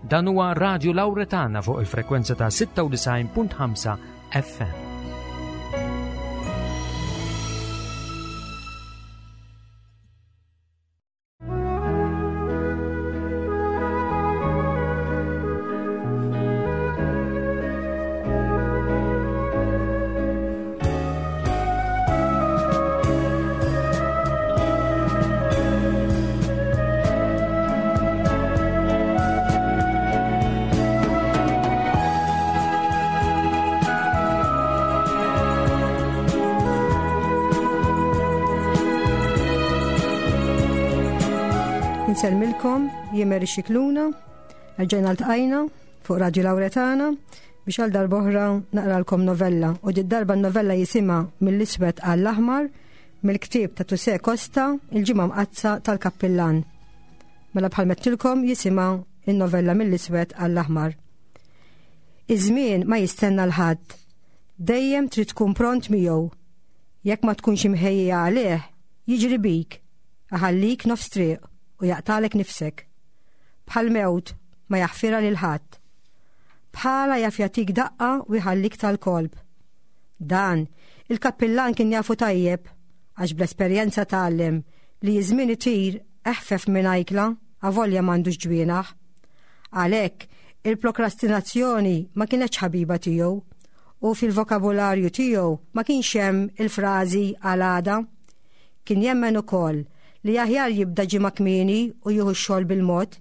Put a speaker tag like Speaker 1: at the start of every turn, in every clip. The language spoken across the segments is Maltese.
Speaker 1: Dan huwa Radio Lauretana fuq il-frekwenza ta' 96.5 FM.
Speaker 2: Nsellmilkom, jien Mary Xikluna, rġajna ltqajna fuq Radio Lauretana biex għal darboħra naqralkom novella u di darba novella jisimha mill-iswed għall-aħmar mill-ktieb ta' Tuse Costa il-ġimgħa mqaddsa tal-kappillan. Mela bħal mettilkom jisimha in-novella mill-iswed għall-aħmar. Iż-żmien ma jistenna l-ħadd. Dejjem trid tkun pront miegħu. Jekk ma tkunx imħejjija għalih, jiġri bik, iħallik nofs triq u jaqtalek nifsek. Bħal mewt ma jaħfirha lil ħadd. Bħala jaf jagħtik daqqa u jħallik tal-kolb. Dan, il-kappillan kien jafu tajjeb, għax bl-esperjenza tgħallem li iż-żmien itir eħfef minn ajkla avolja m'għandux ġwienaħ. Għalhekk, il-prokrastinazzjoni ma kinetx ħabiba tiegħu u fil-vokabularju tiegħu ma kienx hemm il-frażi għal għada. Kien jemmen ukoll li aħjar jibda ġimgħa kmieni u jieħu x-xogħol bil-mod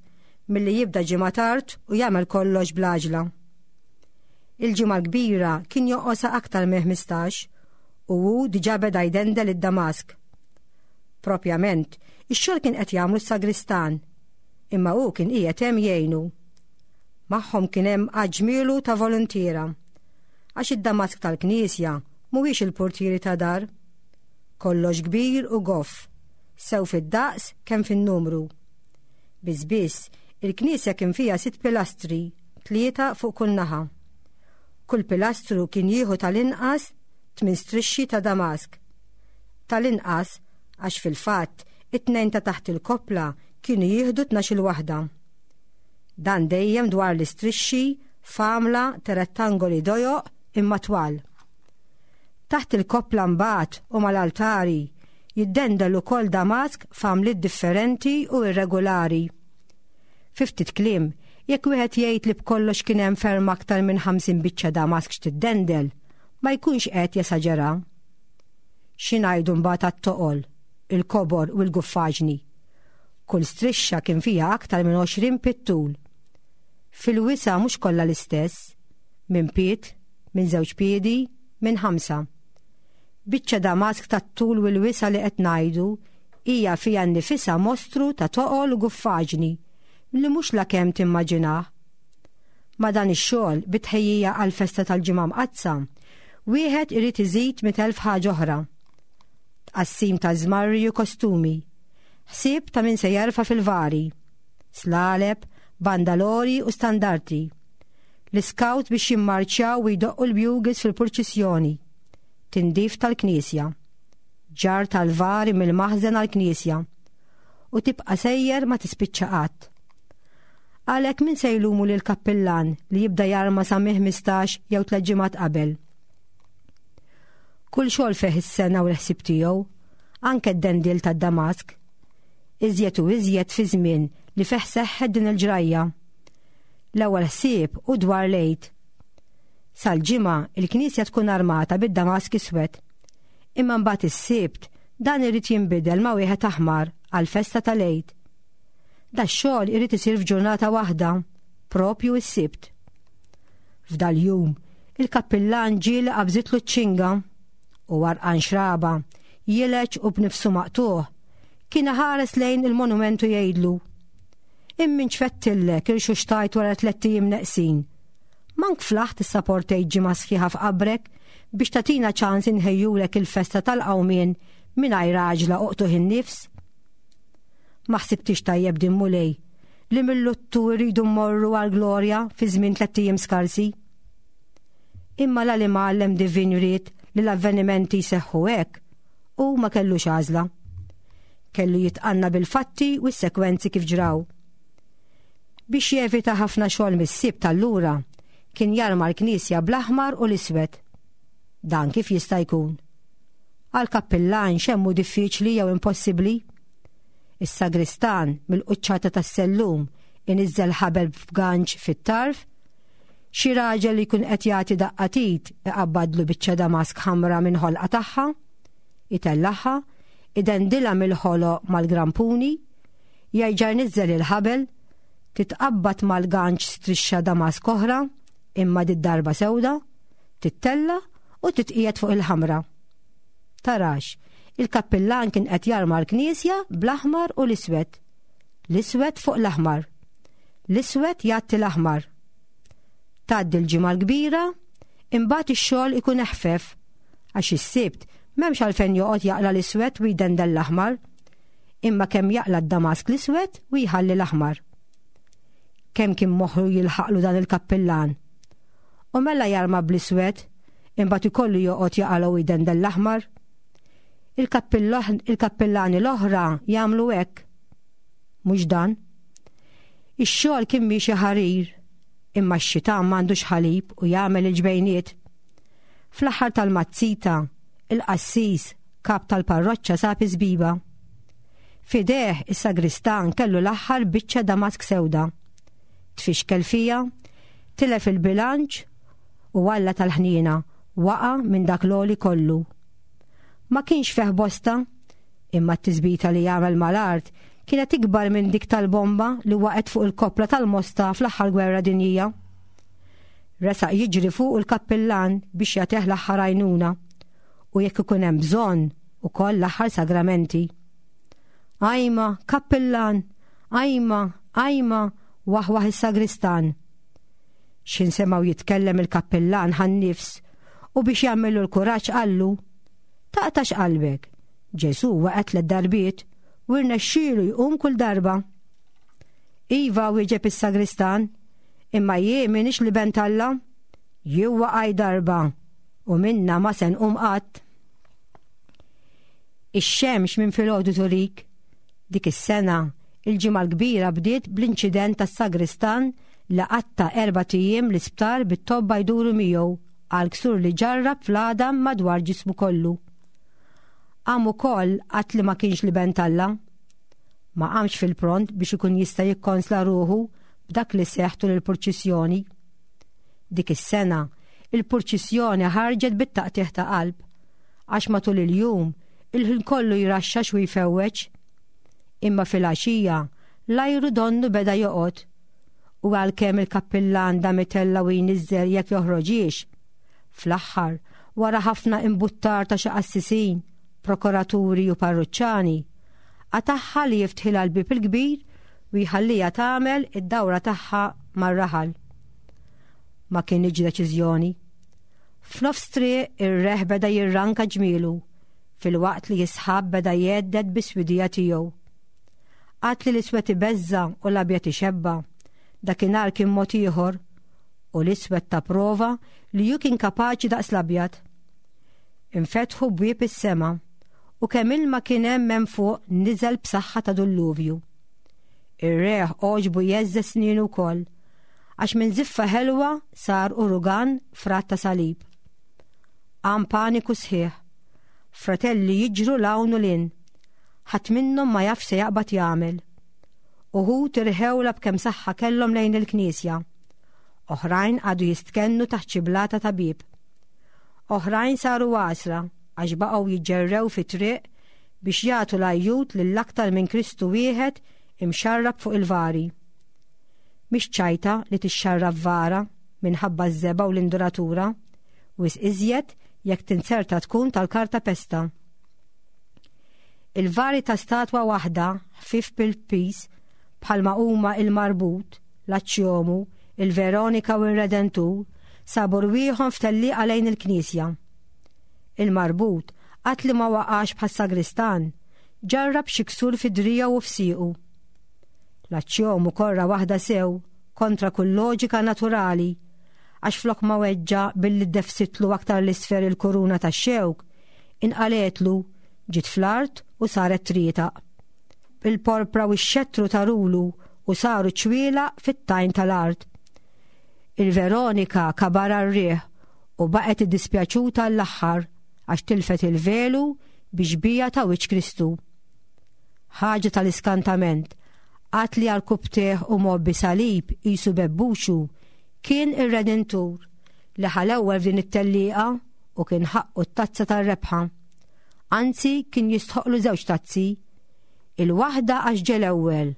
Speaker 2: milli jibda ġimgħa tard u jagħmel kollox bl-għaġla. Il-ġimgħa l-kbira kien joqosha aktar minn 15 u hu diġà beda jdendel id-damask. Propjament, ix-xogħol kien qed jagħmlu s-sagristan, imma hu kien qiegħed hemm jgħinu. Magħhom kien hemm għadd ġmielu ta' voluntiera. Għax id-damask tal-knisja mhuwiex il-purtieri ta' dar. Kollox kbir u goff, sew fid-daqs kemm fin-numru. Biss biss, il-knisja kien fiha sitt pilastri, tlieta fuq kull naħa. Kull pilastru kien jieħu tal-inqas tmien strixxi ta' damask. Tal-inqas għax fil-fatt it-tnejn ta' taħt il-koppla kienu jieħdu tnax-il waħda. Dan dejjem dwar l-istrixxi f'għamla ta' rettangoli dojoq imma twal. Taħt il-koppla mbagħad u mal-altari jiddendel ukoll damask f'għamliet differenti u irregolari. Fi ftit kliem, jekk wieħed jgħid li b'kollox kien hemm ferm aktar minn 50 biċċa damask x'tiddendel, ma jkunx qed jesaġera. Xi ngħidu mbagħad għat-toqol, il-kobor u l-guffaġni? Kull strixxa kien fiha aktar minn 20 pied tul. Fil-wisa' mhux kollha l-istess, minn pied, minn żewġ piedi, minn ħamsa. Biċċa damask tat-tul u l-wisa' li qed ngħidu hija fiha nnifisha mostru ta' toqol u guffaġni li mhux lakemm timmaġinah. Ma' dan ix-xogħol, bi tħejjija għall-festa tal-Ġimgħa Mqaddsa, wieħed irid iżid 100,000 ħaġa oħra. Tqassim ta' żmarri u kostumi, ħsieb ta' min se jerfa' fil-vari, slaleb, bandalori u standarti, l-iskawt biex jimmarċjaw u jdoqqu l-bugles fil-purċissjoni, tindif tal-knisja, ġarr tal-vari mill-maħżen għall-knisja, u tibqa' sejjer ma tispiċċa qatt. Għalhekk min se jlumu lill-kappillan li jibda jarma sa minn 15 jew tliet ġimgħat qabel? Kull xogħol fih is-sena u l-ħsieb tiegħu, anke d-dendil tad-Damask. Iżjed u iżjed fi żmien li fih seħħet din il-ġrajja. L-ewwel ħsieb hu dwar l-Għid. Sal-Ġimgħa il-knisja tkun armata bid-damask iswed. Imma mbagħad is-Sibt dan irid jinbidel ma' wieħed aħmar għall-festa tal-Għid. Dax-xogħol irid isir f'ġurnata waħda, propju s-Sibt. F'dal-jum, il-kappillan ġieli qabżitlu ċ-ċinga u għarqan xraba, jileġ u b'nifsu maqtugħ, kien iħares lejn il-monument u jgħidlu, Immin ċfettillek irxuxtajt wara tlett ijiem neqsin. Mank flaħt issaportejt ġimgħa sħiħa f'qabrek biex tagħtina ċans inħejjulek il-festa tal-qawmien mingħajr għaġla u qtugħ in-nifs. Ma ħsibtix tajjeb din Mulej li mill-luttu rridu mmorru għall-glorja fi żmien tlett ijiem skarsi. Imma la l-imgħallem divin ried li l-avvenimenti jseħħu hekk, hu ma kellux għażla. Kellu jitqanna bil-fatti u s-sekwenzi kif ġraw. Biex jevita ħafna xogħol mis-Sibt allura, kien jarma l-knisja bl-aħmar u l-iswed. Dan kif jista' jkun? Għal kappillan x'hemm hu diffiċli jew impossibbli? Is-sagristan mill-quċċata tas-sellum iniżżel ħabel b'ganċ fit-tarf, xi raġel li jkun qed jagħti daqqa t'id iqabbadlu biċċa damask ħamra minn ħolqa tagħha, itellagħha, idendilha mill-ħoloq mal-grampuni, jerġa' jniżżel il-ħabel, titqabbad mal-ganċ strixxa damask oħra, imma did-darba sewda, tittella' u titqiegħed fuq il-ħamra. Tarax, il-kappillan kien qed jarma l-knisja bl-aħmar u l-iswed. L-iswed fuq l-aħmar. L-iswed jgħatti l-aħmar. Tgħaddi l-Ġimgħa l-Kbira, imbagħad ix-xogħol ikun eħfef, għax is-Sibt m'hemmx għalfejn joqgħod jaqla' l-iswed u jdendel l-aħmar. Imma kemm jaqla' d-damask l-iswed u jħalli l-aħmar. Kemm kien moħħu jilħaqlu dan il-kappillan. U mela jarma bl-iswed, imbagħad ikollu joqgħod jaqalgħu u jdendel l-aħmar. Il-kappillani l-oħra jagħmlu hekk. Mhux dan. Ix-xogħol kien miexi ħarir, imma x-xitan m'għandux ħalib u jagħmel il-ġbejniet. Fl-aħħar tal-mazzita, il-qassis, kap tal-parroċċa sab iż-żbiba. F'idejh is-sagristan kellu l-aħħar biċċa damask sewda. Tfixkel fiha, tilef il-bilanċ u Alla tal-ħniena waqa' minn dak l-għoli kollu. Ma kienx fih bosta, imma t-tisbita li għamel mal-art kienet ikbar minn dik tal-bomba li waqgħet fuq il-koppla tal-Mosta fl-aħħar gwerra dinjija. Resaq jiġri fuq il-kappillan biex jagħtih l-aħħar għajnuna u jekk ikun hemm bżonn ukoll l-aħħar sagramenti. Ajma, kappillan, ajma, ajma, waħwaħ is-sagristan. X'ħin semgħu jitkellem il-kappillan ħa n-nifs u biex jagħmillu l-kuraġġ qallu, Taqtax qalbek, Ġesù waqa' tliet darbiet u rnexxielu jqum kull darba. Iva, wieġeb is-sagristan, imma jien m'iniex l-Iben t'Alla. Jien waqajt darba u minnha ma se nqum qatt. Ix-xemx minn filgħodu turik. Dik is-sena, il-Ġimgħa l-Kbira bdiet bl-inċident tas-sagristan li qatta' erbat ijiem l-isptar bit-tobba jduru miegħu għal ksur li ġarrab fl-għadam madwar ġismu kollu. Qam ukoll għad li ma kienx l-Iben t'Alla. Ma qamx fil-pront biex ikun jista' jikkonsla ruħu b'dak li seħħ tul il-purċissjoni. Dik is-sena, il-purċissjoni ħarġet bit-taqtigħ ta' qalb, għax matul il-jum il-ħin kollu jraxxax u jfewweġ. Imma filgħaxija l-ajru donnu beda joqgħod u għalkemm il-kappillan dam itella' u jniżżel jekk joħroġhiex, fl-aħħar, wara ħafna imbuttar ta' xi qassisin, prokuraturi u parruċċani, qatagħha li jiftħilha l-bieb il-kbir u jħalliha tagħmel id-dawra tagħha mar-raħal. Ma kinitx deċiżjoni. F'nofs triq ir-reħ beda jirranka ġmielu filwaqt li s-sħab beda jgħedded bis-swidija tiegħu. Għad li l-iswed ibeżża' u l-abjad ixebba', dakinhar kien mod ieħor u l-iswed ta prova li hu kien kapaċi daqs l-abjad. Infetħu bwieb is-sema u kemm ilma kien hemm hemm fuq niżel b'saħħa ta' dulluvju. Ir-reħ għoġbu jgħeżżeż snienu wkoll, għax minn żiffa ħelwa sar urugan frat ta' salib. Qam paniku sħiħ. Fratelli jiġru 'l hawn u 'l hinn. Ħadd minnhom ma jaf x'se jaqbad jagħmel. Uħud irħewlha b'kemm saħħa kellhom lejn il-knisja. Oħrajn qagħdu jistkennu taħt xi blata ta' bieb. Oħrajn saru għasra għax baqgħu jiġġerrew fit-triq biex jagħtu l-għajjut lil aktar minn Kristu wieħed imxarrab fuq il-vari. Mhix ċajta li tixxarrab vara minħabba ż-żebgħa u l-induratura, wisq iżjed jekk tinzerta tkun tal-karta pesta. Il-vari ta' statwa waħda ħfief bil-piż bħalma huma il-Marbut, l-Aċċjomu, il-Veronika u r-Redentur sabu rwieħhom f'tellieqa lejn il-knisja. Il-Marbut, qatt li ma waqax bħas-sagristan, ġarrab xi ksur fi driegħu u f'siequ. L-Aċċjomu korra waħda sew kontra kull loġika naturali għax flok ma weġġa' billi ddefsitlu aktar 'l isfel il-kuruna tax-xewk, inqalgħetlu, ġiet fl-art u saret trietaq. Il-porpra u x-xettru tarulu u saru ċwielaq fit-tajn tal-art. Il-Veronika kabarha r-riħ u baqgħet iddispjaċuta għall-aħħar għax tilfet il-velu bi xbieha ta' wiċċ Kristu. Ħaġa tal-iskantament, qatt li għarkupptejh u mgħobbi salib qisu bebbuxu kien ir-Redentur li ħa l-ewwel f'din it-tellieqa u kien ħaqqu t-tazza tar-rebħa. Anzi kien jistħoqlu żewġ tazzi. Il-waħda għax ġie l-ewwel,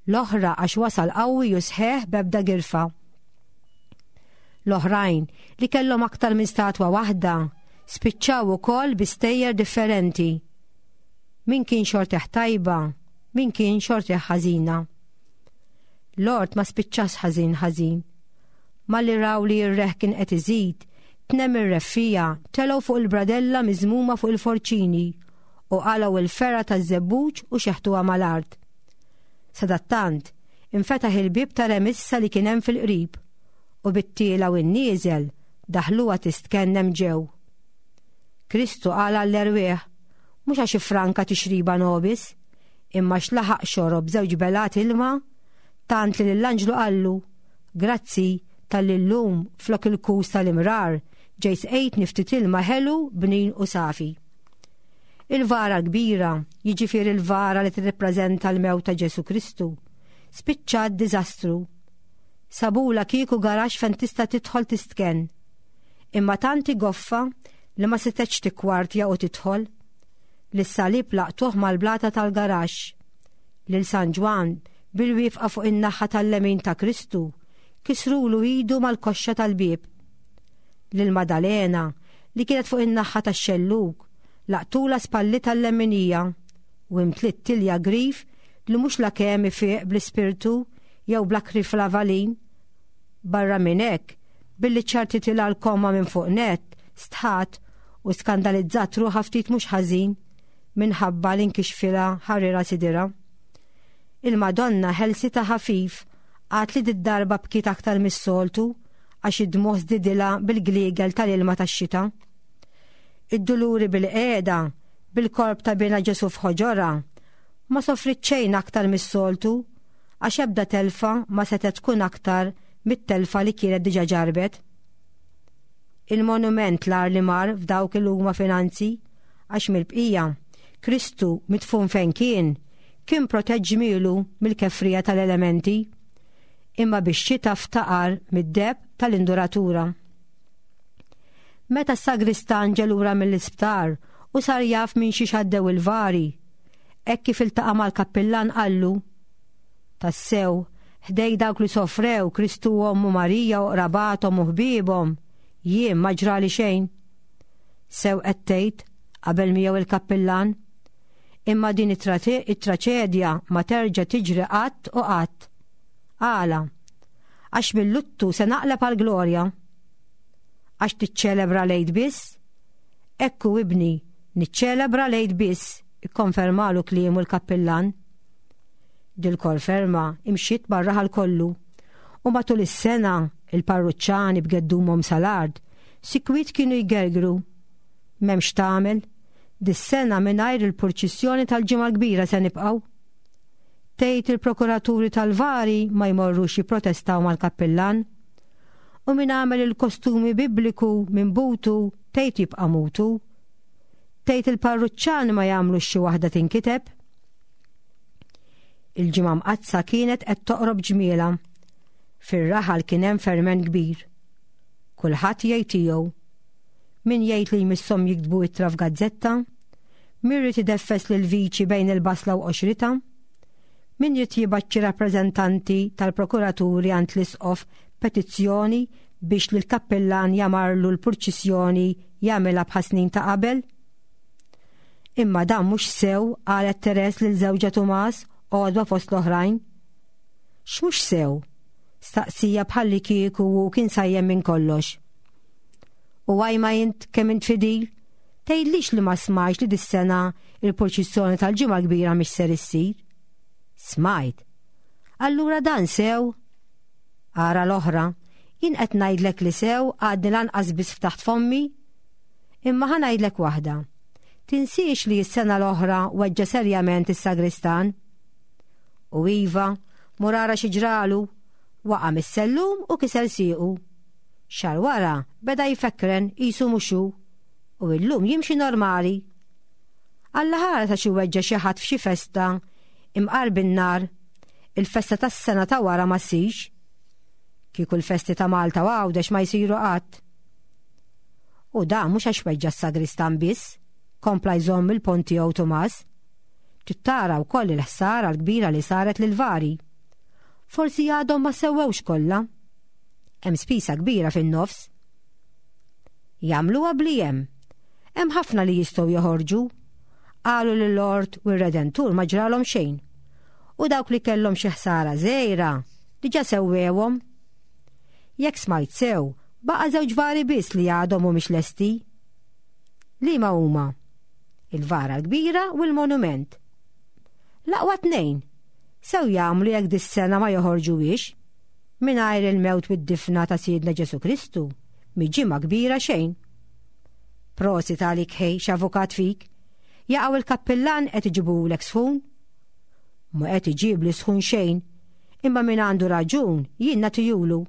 Speaker 2: l-oħra għax wasal qawwi u sħiħ b'ebda girfa. L-oħrajn, li kellhom aktar minn statwa waħda, spiċċaw ukoll bi stejjer differenti. Min kien xortih tajba, min kien xortih ħażina. L-ort ma spiċċax ħażin ħażin. Malli raw li r-reħ kien qed iżid, tnemm ir-reffiegħa, telgħu fuq il-bradella miżmuma fuq il-forċini u qalgħu il-fergħa taż-żebbuġ u xeħtuha mal-art. Sadattant, infetaħ il-bieb ta' remissa li kien hemm fil-qrib u bit-tiela u n-nieżel daħluha tistkennem ġew. Kristu qala l-erwieħ, mhux għax iffranka tixriba nobis, imma x'laħaq xorob żewġ belat ilma, tant li lill-anġlu qallu, Grazzi talli llum flok il-kus tal-imrar ġejt sqejtni ftit ilma ħelu, bnin u safi. Il-vara l-kbira, jiġifieri l-vara li tirrippreżenta l-mewt ta' Ġesù Kristu, spiċċat diżastru. Sabulha kieku garaxx fejn tista' tidħol tistkenn. Imma tant hi goffa li ma setgħetx tikkwartja u tidħol. Lis-salib laqtuh mal-blata tal-garaxx. Lil San Ġwann, bil-wieqfa fuq in-naħa tal-lemin ta' Kristu, kisrulu idu mal-koxxa tal-bieb. Lil Madalena, li kienet fuq in-naħa tax-xellug, laqtulha spallitha l-lemminija u imtliet tilja grif li mhux lakemm ifiq bl-ispirtu jew bl-akriflavalin. Barra minn hekk, billi ċartitilha l-komma minn fuq nett, stħat u skandalizzat ruħha ftit mhux ħażin minħabba li nkixfilha ħarira sidirha. Il-Madonna ħelsitha ħafif għad li did-darba bkiet aktar mis-soltu għax id-dmugħ żdidilha bil-gliegel tal-ilma tax-xita. Id-duluri bil-qiegħda, bil-korp ta' binha Ġesù f'ħoġorha, ma sofriet xejn aktar mis-soltu għax ebda telfa ma setgħet tkun aktar mit-telfa li kienet diġà ġarrbet. Il-monument l-agħar li mar f'dawk il huma finanzi għax mill-bqija, Kristu midfun fejn kien, kien protett ġmielu mill-kefrija tal-elementi imma bix-xita ftaqar mid-deheb tal-induratura. Meta s-sagristan ġe lura mill-isptar u sar jaf minn xiex għaddew il-vari, hekk kif iltaqa' mal-kappillan qallu, Tassew, ħdej dawk li sofrew Kristu u ommu Marija u qrabathom u ħbiebhom, jien ma ġrali xejn. Sew qed tgħid, qabel miegħu il-kappillan. Imma din it-traċedja ma terġa' tiġri qatt u qatt. Għala? Għax mill-luttu se naqleb għall-glorja. Għax tiċċelebra l-Għid biss? Ekku ibni, niċċelebra l-Għid biss, ikkonfermalu kliemu l-kappillan. Dil-konferma imxiet mar-raħal kollu u matul is-sena il-parruċċani b'geddumhom sal-art sikwit kienu jgergru. M'hemmx tagħmel, dis-sena mingħajr il-purċissjoni tal-Ġimgħa l-Kbira se nibqgħu. Tgħid il-prokuraturi tal-vari ma jmorrux jipprotestaw mal-kappillan? U min għamel il-kostumi bibliku minn butu tgħid jibqa' mutu? Tgħid il-parruċċani ma jagħmlux xi waħda tinkiteb? Il-Ġimgħa Mqaddsa kienet qed toqrob ġmielha. Fir-raħal kien hemm ferment kbir. Kulħadd jgħid tiegħu. Min jgħid li jmisshom jiktbu ittra f'gazzetta? Min ried ideffes lill-viċi bejn il-basla u qoxritha? Min ried jibgħat xi rappreżentanti tal-prokuraturi għand l-isqof b'petizzjoni biex lill-kappillan jamarlu l-purċissjoni jagħmilha bħas-snin ta' qabel? Imma dan mhux sew, qalet Therese lil żewġha Tumas, għodwa fost l-oħrajn. X'mhux sew? Staqsija bħallikieku hu kien sajjem minn kollox. U għajma int kemm int fidil? Tgħidlix li ma smajtx li dis-sena il-purċissjoni tal-Ġimgħa l-Kbira mhix ser issir? Smajt. Allura dan sew? Ara l-oħra, jien qed ngħidlek li sew għadni lanqas biss ftaħt fommi. Imma ħa ngħidlek waħda. Tinsiex li s-sena l-oħra weġġa' serjament is-sagristan. U iva, Mur ara xi ġralu. Waqa' mis-sellum u kiser siequ. Xahar wara beda jfekkren qisu mhux hu u illum jimxi normali. Alla ħares għax iweġġa' xi ħadd f'xi festa imqar bin-nar, il-festa tas-sena ta' wara ma ssirx. Kieku l-festi ta' Malta u Għawdex ma jsiru qatt. U dan mhux għax weġġa' s-sagristan biss, kompla jżomm il-pont tiegħu Tumas. Trid tara wkoll il-ħsara l-kbira li saret lill-vari. Forsi għadhom ma sewwewx kollha. Hemm spisa kbira fin-nofs. Jagħmluha bli hemm. Hemm ħafna li jistgħu joħorġu. Qalu li l-Lord u r-Redentur ma ġralhom xejn. U dawk li kellhom xi ħsara żgħira diġà sewwewhom. Jekk smajt sew, baqa' żewġ vari biss li għadhom mhumiex lesti. Liema huma? Il-vara l-kbira u l-monument. L-aqwa tnejn. Sew jagħmlu jekk dis-sena ma joħorġuhiex. Mingħajr il-mewt u d-difna ta' Sidna Ġesù Kristu, mhi ġimgħa kbira xejn. Prosit għalik ħej x'avukat fik. Jaqaw il-kappillan qed iġibulek sħun? Ma qed iġibli sħun xejn, imma min għandu raġun jien nagħtihulu.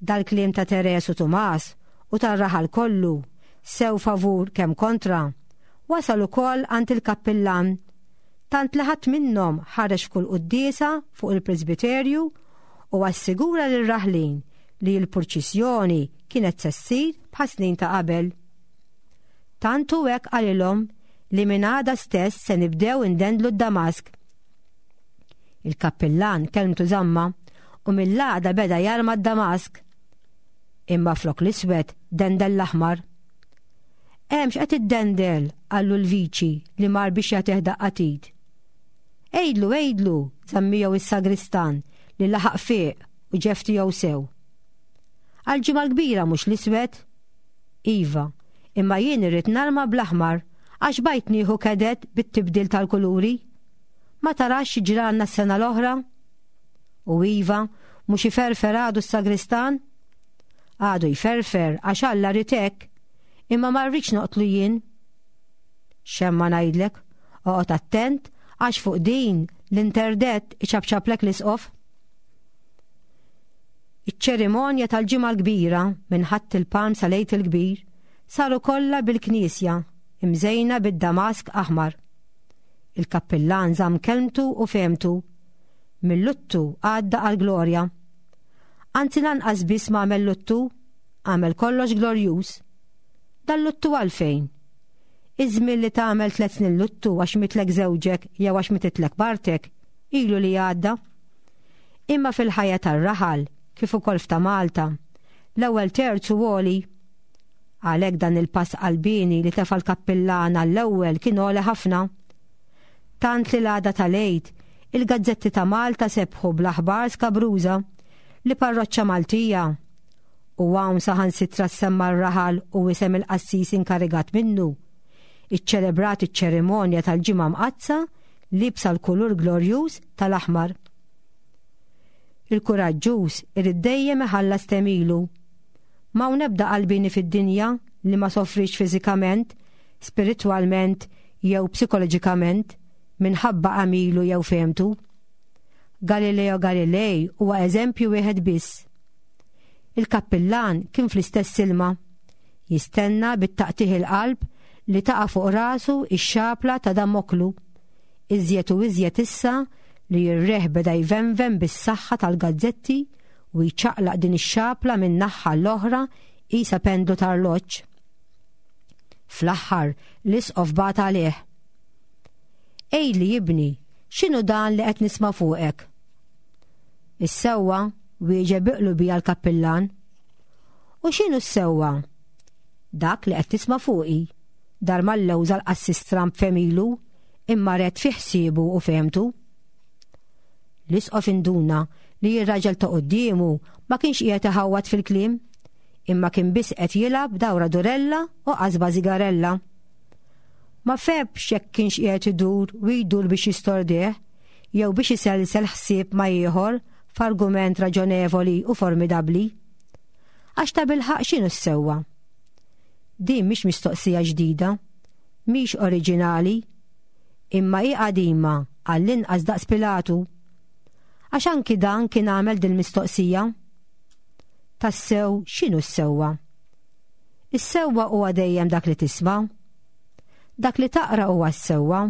Speaker 2: Dal-kliem ta' Teres u Tumas u tar-raħal kollu, sew favur kemm kontra, wasal ukoll għand il-kappillan, tant li ħadd minnhom ħareġ f'kull quddiesa fuq il-presbiterju u assigura lir-raħlin li l-purċissjoni kienet se ssir bħas-snin ta' qabel. Tant hu hekk qalilhom li minn għada stess se nibdew indendlu d-Damask. Il-kappillan kelmtu żamma u mill-għada beda jarma d-Damask. Imma flok l-iswed dendel l-aħmar. Hemm x'qed iddendel, qallu l-viċi li mar biex jagħtih daqqa t'id. Għidlu, għidlu, żamm miegħu s-sagristan li laħaq fieq u ġef tiegħu sew. Għall-Ġimgħa l-Kbira mhux l-iswed? Iva, imma jien irrid narma bl-aħmar għax bajt nieħu kedet bit-tibdil tal-kuluri. Ma tarax xi ġralna s-sena l-oħra? U iva, mhux iferfer għadu s-sagristan? Għadu jferfer għax Alla ried hekk, imma ma rridx noqtlu jien. X'hemm ma ngħidlek, oqgħod attent għax fuq din l-interdett iċapċaplek l-isqof. Iċ-ċerimonja tal-Ġimgħa l-Kbira minn Ħadd il-Palm sal-Għid il-Kbir saru kollha bil-knisja imżejna bid-damask aħmar. Il-kappillan żamm kelmtu u fehmtu. Mil-luttu għadda għall-glorja. Anzi lanqas biss m'għamel luttu, għamel kollox glorjuż. Dal-luttu għalfejn? Iż-żmien li tagħmel tliet snin luttu għax mitlek żewġek jew għax mititlek martek, ilu li għadda. Imma fil-ħajja tar-raħal, kif ukoll f'ta' Malta, l-ewwel terz hu għoli. Għalhekk dan il-pass qalbieni li tefa' l-kappillan għall-ewwel kien għoli ħafna. Tant li l-għada tal-Għid, il-gazzetti ta' Malta sebħu bl-aħbar skabruża li parroċċa Maltija, u hawn saħansitra ssemma r-raħal u isem il-qassis inkarigat minnu, iċċelebrat iċ-ċerimonja tal-Ġimgħa Mqaddsa liebsa l-kulur glorjuż tal-aħmar. Il-kuraġġuż irid dejjem iħallas temilu. M'hawn ebda qalbieni fid-dinja li ma sofriex fiżikament, spiritwalment jew psikoloġikament minħabba għamilu jew fehmtu. Galileo Galilei huwa eżempju wieħed biss. Il-kappillan kien fl-istess ilma, jistenna bit-taqtigħ il-qalb li taqa' fuq rasu x-xapla ta' Damoklu, iżjed u iżjed issa li r-riħ beda jvenven bis-saħħa tal-gazzetti u jċaqlaq din ix-xapla minn naħa l-oħra qisha pendlu ta' arloġġ. Fl-aħħar l-isqof bagħat għalih. Għidli ibni, x'inhu dan li qed nisma' fuqek? Is-sewwa, wieġeb bi qlubija l-kappillan. U x'inhu s-sewwa? Dak li qed tisma' fuqi. Dar mal-lewża l-qassis Trump femilu, imma red fi ħsiebu u fehmtu. L-isqof induna li r-raġel ta' quddiemu ma kienx qiegħed iħawwad fil-kliem, imma kien biss qed jilgħab dawra durella u qasba zigarella. Ma fehmx jekk kienx qiegħed idur u jdur biex jistordih jew biex iselsel ħsieb ma' ieħor f'argument raġonevoli u formidabbli. Għax tabilħaqq x'inhu s-sewwa? Din mhix mistoqsija ġdida, mhix oriġinali, imma hi qadima għall-inqas daqs Pilatu. Għax anki dan kien għamel dil-mistoqsija. Tassew x'inhu s-sewwa? Is-sewwa huwa dejjem dak li tisma'. Dak li taqra huwa s-sewwa.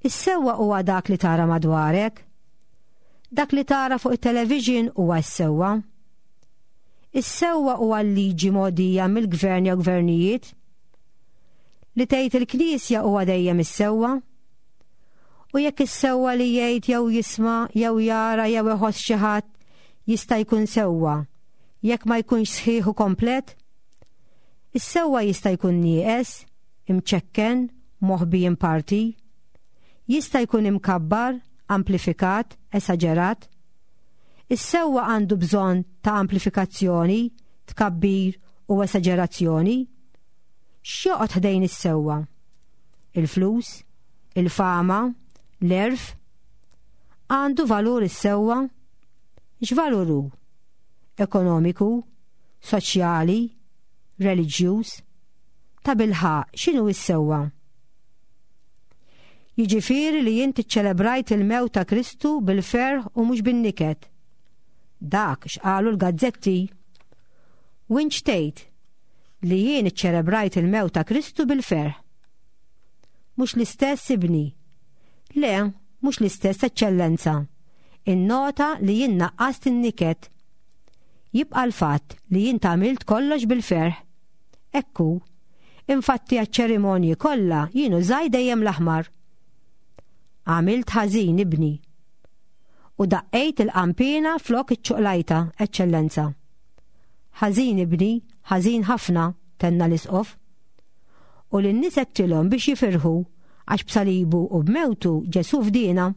Speaker 2: Is-sewwa huwa dak li tara madwarek. Dak li tara fuq it-television huwa s-sewwa. Is-sewwa huwa l-liġi mogħdija mill-gvern jew gvernijiet. Li tgħid il-Knisja huwa dejjem is-sewwa. U jekk is-sewwa li jgħid jew jisma' jew jara jew iħoss xi ħadd jista' jkun sewwa, jekk ma jkunx sħiħ u komplet? Is-sewwa jista' jkun nieqes, imċekken, moħbi in parti. Jista' jkun imkabbar, amplifikat, esaġerat. Is-sewwa għandu bżonn ta' amplifikazzjoni, tkabbir u esaġerazzjoni. X'joqgħod ħdejn is-sewwa? Il-flus, il-fama, l-għerf? Għandu valur is-sewwa? X'valur hu? Ekonomiku, soċjali, reliġjuż? Tabilħaqq, x'inhu s-sewwa? Jiġifieri li int iċċelebrajt il-mewt ta' Kristu bil-ferħ u mhux bin-niket. Dak x'qalu l-gazzetti. U int x'tgħid? Li jien iċċelebrajt il-mewt ta' Kristu bil-ferħ. Mhux l-istess ibni. Le, mhux l-istess eċċellenza. Innota li jien naqqast in-niket. Jibqa' l-fatt li int għamilt kollox bil-ferħ. Hekk hu. Infatti għaċ-ċerimonji kollha jien użaj dejjem l-aħmar. Għamilt ħażin, ibni. U daqqejt il-qanpiena flok iċ-ċuqlajta, Eċċellenza. Ħażin, ibni, ħażin ħafna, tenna l-Isqof. U lin-nies għedtilhom biex jifirħu għax b'salibu u b'mewtu Ġesù fdiena.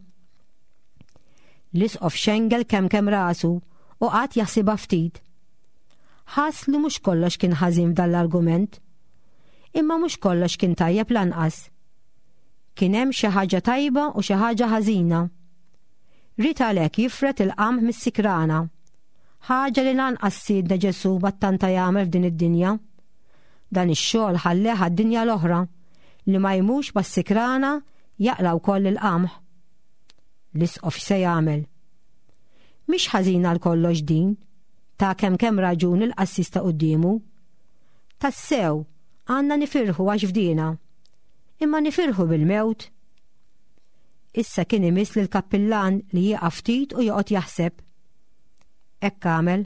Speaker 2: L-Isqof xengel kemm kemm rasu u qagħad jaħsibha ftit. Ħass li mhux kollox kien ħażin f'dan l-argument. Imma mhux kollox kien tajjeb lanqas. Kien hemm xi ħaġa tajba u xi ħaġa ħażina. Ried għalhekk jifred il-qamħ mis-sikrana. Ħaġa li lanqas Sidna Ġesù ma ttanta jagħmel f'din id-dinja. Dan ix-xogħol ħalleh għad-dinja l-oħra, li ma jmux mas-sikrana jaqla' wkoll il-qamħ. L-isqof x'se jagħmel? Mhix ħażina għal kollox din, ta kemm kemm raġun il-qassis ta' quddiemu. Tassew, għandna nifirħu għax fdiena. Imma nifirħu bil-mewt. Issa kien imiss lill-kappillan li jieqaf ftit u joqgħod jaħseb. Hekk għamel.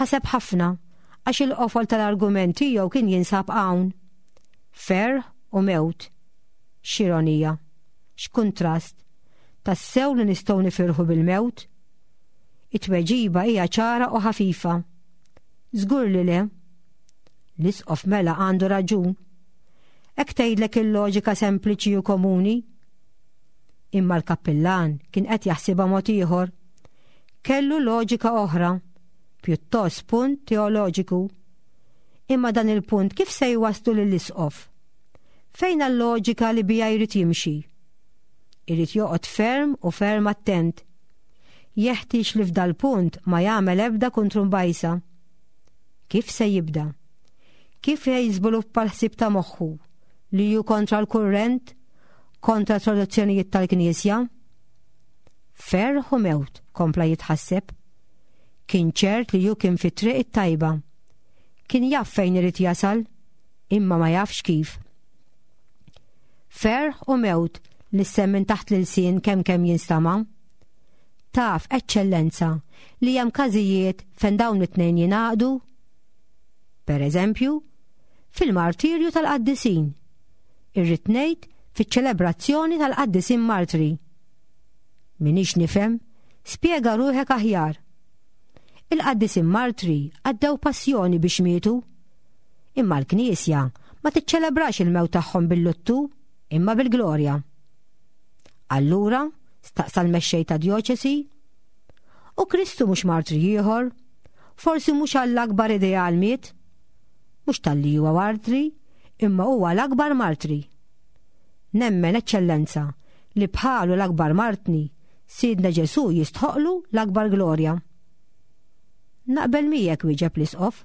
Speaker 2: Ħaseb ħafna għax il-qofol tal-argument tiegħu kien jinsab hawn. Ferħ u mewt. X'ironija. X'kuntrast. Tassew li nistgħu nifirħu bil-mewt? It-tweġiba hija ċara u ħafifa. Żgur li le. L-isqof mela għandu raġun. Hekk tgħidlek il-loġika sempliċi u komuni. Imma l-kappillan kien qed jaħsibha mod ieħor. Kellu loġika oħra, pjuttost punt teoloġiku. Imma dan il-punt kif se jwasslu lill-isqof? Fejn l-loġika li biha jrid jimxi? Irid joqgħod ferm u ferm attent. Jeħtieġ li f'dal-punt ma jagħmel ebda kuntrumbajsa. Kif se jibda? Kif se jiżviluppa l-ħsieb ta' moħħu li hu kontra l-kurrent, kontra t-traduzzjonijiet tal-Knisja? Ferħ u mewt, kompla jitħasseb. Kien ċert li hu kien fit-triq it-tajba. Kien jaf fejn irid jasal, imma ma jafx kif. Ferħ u mewt lissen minn taħt l-ilsien kemm kemm jinstama'. Taf, Eċċellenza, li hemm każijiet fejn dawn it-tnejn jingħaqdu? Per eżempju, fil-martirju tal-qaddisin. Irrid ngħid fiċ-ċelebrazzjoni tal-qaddisin martri. Minix nifhem, spjega ruħek aħjar. Il-qaddisin martri għaddew passjoni biex mietu. Imma l-Knisja ma tiċċelebrax il-mewt tagħhom bil-luttu, imma bil-glorja. Allura, staqsa l-mexxej ta' djoċesi, u Kristu mhux martri ieħor? Forsi mhux għall-akbar ideal miet? Mhux talli huwa martri, imma huwa l-akbar martri. Nemmen, Eċċellenza, li bħalu l-akbar martni, Sidna Ġesù jistħoqqlu l-akbar glorja. Naqbel miegħek, wieġeb l-Isqof.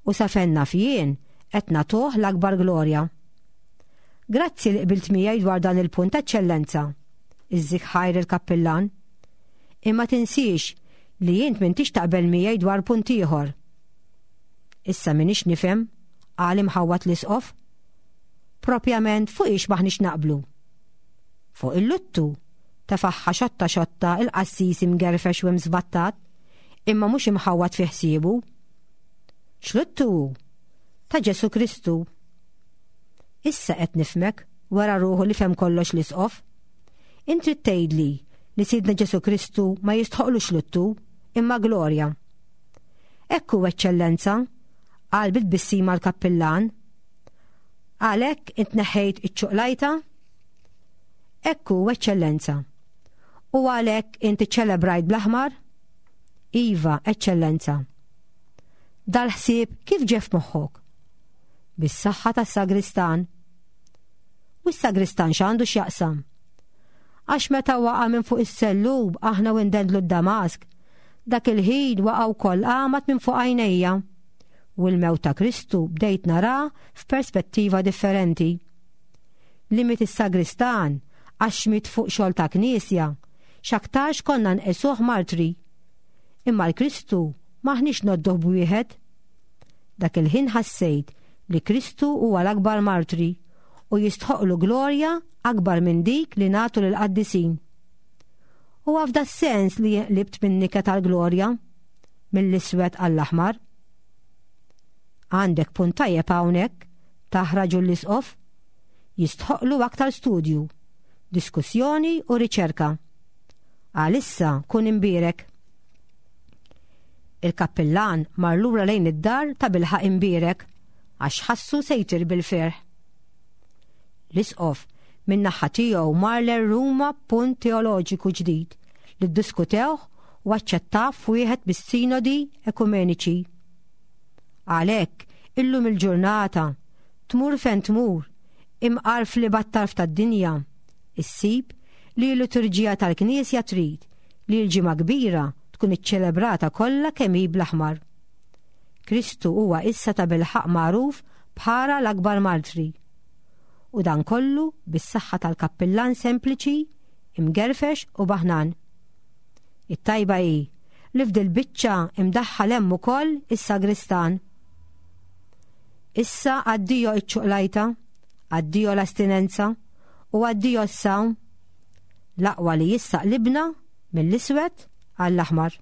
Speaker 2: U sa fejn naf jien, qed nagħtuh l-akbar glorja. Grazzi li qbilt miegħi dwar dan il-punt, Eċċellenza. Iżżik ħajr il-kappillan. Imma tinsiex li int m'intix taqbel miegħi dwar punt ieħor. Issa m'iniex nifhem, qal imħawwad l-Isqof. Propjament fuq ix m'aħniex naqblu? Fuq il-luttu, tefagħha xotta xotta il-qassis imgerfex u imżbattat, imma mhux imħawwad fi ħsiebu. X'luttu hu? Ta' Ġesù Kristu. Issa qed nifhmek, wera ruħu li fehem kollox l-Isqof. Int trid tgħidli li Sidna Ġesù Kristu ma jistħoqlux luttu, imma glorja. Hekk hu, Eċċellenza, qal bi tbissima l-kappillan. Għalhekk int neħħejt iċ-ċuqlajta? Hekk hu, Eċċellenza. U għalhekk int iċċelebrajt bl-aħmar? Iva, Eċċellenza. Dal-ħsieb kif ġie f'moħħok? Bis-saħħa tas-sagristan. U s-sagristan x'għandu x'jaqsam? Għax meta waqa' minn fuq is-sellub aħna u ndendlu d-Damask, dak il-ħin waqa' wkoll għamad minn fuq għajnejja. U l-mewt ta' Kristu bdejt nara f'perspettiva differenti. Li miet is-sagristan għax miet fuq xogħol ta' knisja, x'aktarx konna nqisuh martri. Imma l-Kristu m'aħniex ngħodduh b'wieħed. Dak il-ħin ħassejt li Kristu huwa l-akbar martri u jistħoqqlu glorja akbar minn dik li nagħtu lill-qaddisin. Huwa f'das-sens li jien qlibt min-niket għall-glorja, mill-iswed għall-aħmar. Għandek punt tajjeb hawnhekk, tah raġun l-Isqof. Jistħoqqlu aktar studju, diskussjoni u riċerka. Għalissa kun imbierek. Il-kappillan mar lura lejn id-dar tabilħaqq imbierek għax ħassu se jtir bil-ferħ. L-Isqof, min-naħa tiegħu mar lejn Ruma b'punt teoloġiku ġdid li ddiskutewh u aċċettah f'wieħed mis-sinodi ekumeniċi. Għalhekk, illum il-ġurnata, tmur fejn tmur, imqar fl-ibgħad tarf tad-dinja, issib li l-liturġija tal-Knisja trid li l-Ġimgħa Kbira tkun iċċelebrata kollha kemm hi bl-aħmar. Kristu huwa issa tabilħaqq magħruf bħala l-akbar martri. U dan kollu bis-saħħa tal-kappillan sempliċi, imgerfex u baħnan. It-tajba hi li f'dil-biċċa imdaħħal hemm ukoll is-sagristan. Issa addio iċ-ċuqlajta, addio l-astinenza u addio s-sawm. L-aqwa li issa qlibna mill-iswed għall-aħmar.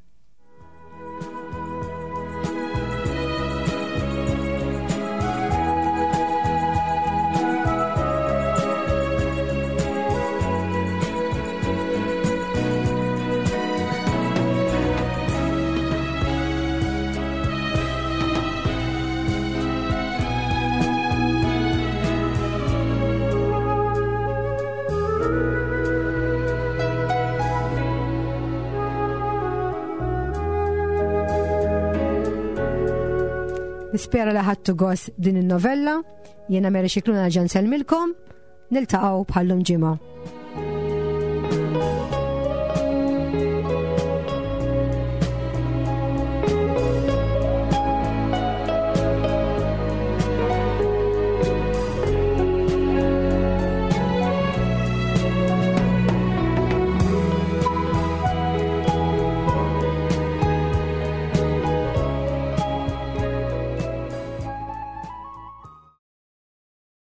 Speaker 2: Nispera li ħadtu gost din in-novella. Jiena Mary Xikluna ġan selmilkom. Niltaqgħu bħallum ġimgħa.